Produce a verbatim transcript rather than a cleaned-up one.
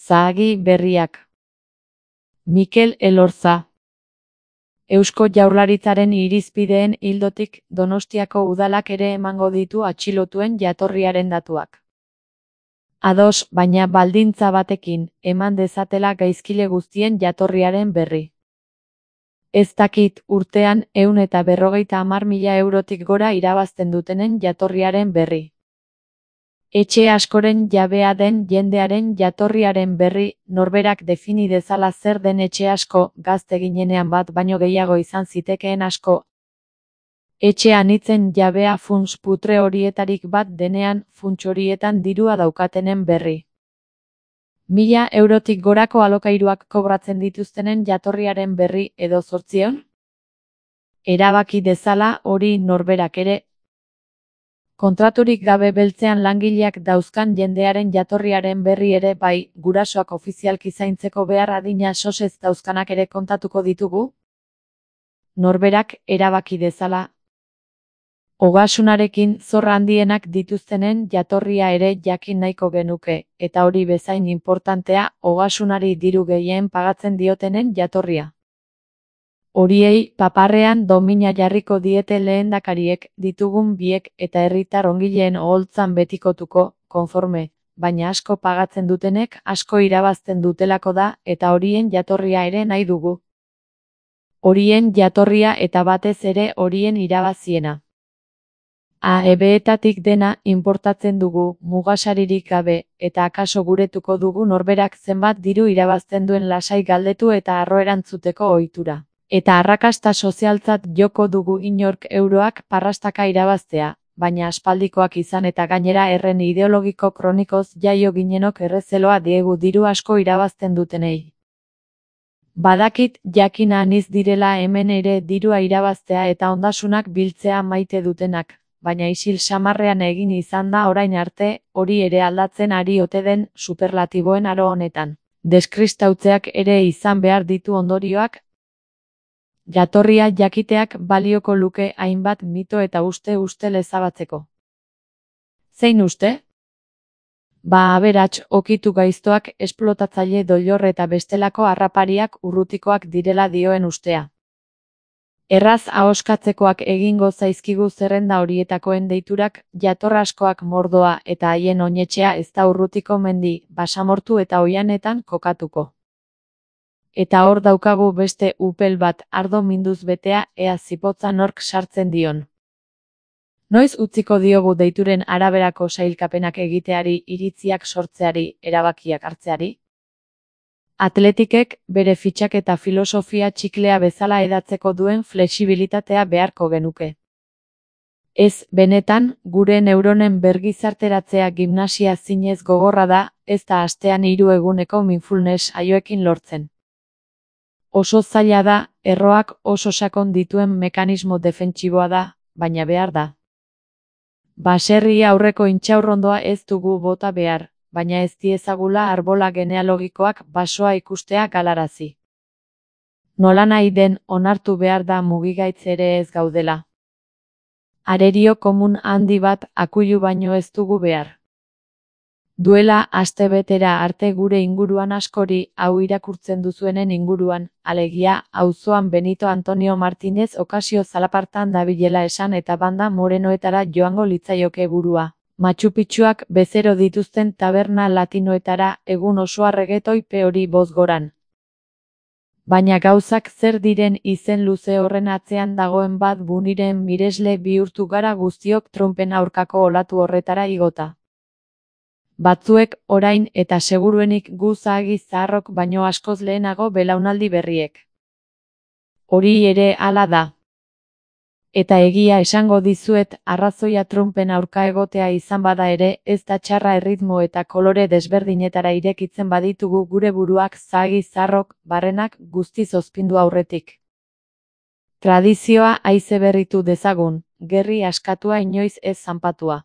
Zahagi berriak. Mikel Elorza. Eusko Jaurlaritzaren irizpideen ildotik Donostiako udalak ere emango ditu atxilotuen jatorriaren datuak. Ados, baina baldintza batekin, eman dezatela gaizkile guztien jatorriaren berri. Ez dakit urtean ehun eta berrogeita hamar mila eurotik gora irabazten dutenen jatorriaren berri. Etxe askoren jabea den jendearen jatorriaren berri, norberak defini dezala zer den etxe asko, gazte ginenean bat baino gehiago izan zitekeen asko. Etxe anitzen jabea funts putre horietarik bat denean, funts horietan dirua daukatenen berri. Mila eurotik gorako alokairuak kobratzen dituztenen jatorriaren berri edo zortziehun? Erabaki dezala hori norberak ere. Kontraturik gabe beltzean langileak dauzkan jendearen jatorriaren berri ere bai, gurasoak ofizialki zaintzeko behar adina sosez dauzkanak ere kontatuko ditugu? Norberak erabaki dezala. Ogasunarekin zorra handienak dituztenen jatorria ere jakin nahiko genuke, eta hori bezain inportantea, ogasunari diru gehien pagatzen diotenen jatorria. Horiei paparrean domina jarriko diete lehendakariek, ditugun biek eta herritar ongileen oholtzan betikotuko, konforme, baina asko pagatzen dutenek asko irabazten dutelako da eta horien jatorria ere nahi dugu. Horien jatorria eta batez ere horien irabaziena. A E B-etatik dena inportatzen dugu, mugasaririk gabe, eta akaso guretuko dugu norberak zenbat diru irabazten duen lasai galdetu eta harro erantzuteko ohitura. Eta arrakasta sozialtzat joko dugu inork euroak parrastaka irabaztea, baina aspaldikoak izan eta gainera erren ideologiko kronikoz jaio ginenok errezeloa diegu diru asko irabazten dutenei. Badakit jakin aniz direla hemen ere dirua irabaztea eta ondasunak biltzea maite dutenak, baina isil samarrean egin izan da orain arte, hori ere aldatzen ari ote den superlatiboen aro honetan. Deskristautzeak ere izan behar ditu ondorioak. Jatorria jakiteak balioko luke hainbat mito eta uste ustel ezabatzeko. Zein uste? Ba aberats okitu gaiztoak esplotatzaile doilor eta bestelako harrapariak urrutikoak direla dioen ustea. Erraz ahoskatzekoak egingo zaizkigu zerrenda horietakoen deiturak, jator askoak mordoa eta haien oinetxea ez da urrutiko mendi, basamortu eta oihanetan kokatuko. Eta hor daukagu beste upel bat ardo minduz betea ea zipotza nork sartzen dion. Noiz utziko diogu deituren araberako sailkapenak egiteari, iritziak sortzeari, erabakiak hartzeari? Atletikek bere fitxaketa filosofia txiklea bezala edatzeko duen flexibilitatea beharko genuke. Ez, benetan, gure neuronen bergizarteratzea gimnasia zinez gogorra da, ez da astean hiru eguneko mindfulness saioekin lortzen. Oso zaila da, erroak oso sakon dituen mekanismo defentsiboa da, baina behar da. Baserri aurreko intxaurrondoa ez dugu bota behar, baina ez diezagula arbola genealogikoak basoa ikustea galarazi. Nolanahi den onartu behar da mugigaitz ere ez gaudela. Arerio komun handi bat akuilu baino ez dugu behar. Duela astebetera arte gure inguruan askori, hau irakurtzen duzuenen inguruan, alegia, auzoan Benito Antonio Martinez okazio zalapartan dabilela esan eta banda morenoetara joango litzaioke burua. Machu Picchuak bezero dituzten taberna latinoetara egun osoa regetoi peori bozgoran. Baina gauzak zer diren izen luze horren atzean dagoen bat buniren miresle bihurtu gara guztiok Trumpen aurkako olatu horretara igota. Batzuek orain eta seguruenik gu zahagi zaharrok baino askoz lehenago belaunaldi berriek. Hori ere hala da. Eta egia esango dizuet, arrazoia Trumpen aurka egotea izan bada ere, ez da txarra erritmo eta kolore desberdinetara irekitzen baditugu gure buruak zahagi zaharrok, barrenak guztiz ozpindu aurretik. Tradizioa haize berritu dezagun, gerri askatua inoiz ez zanpatua.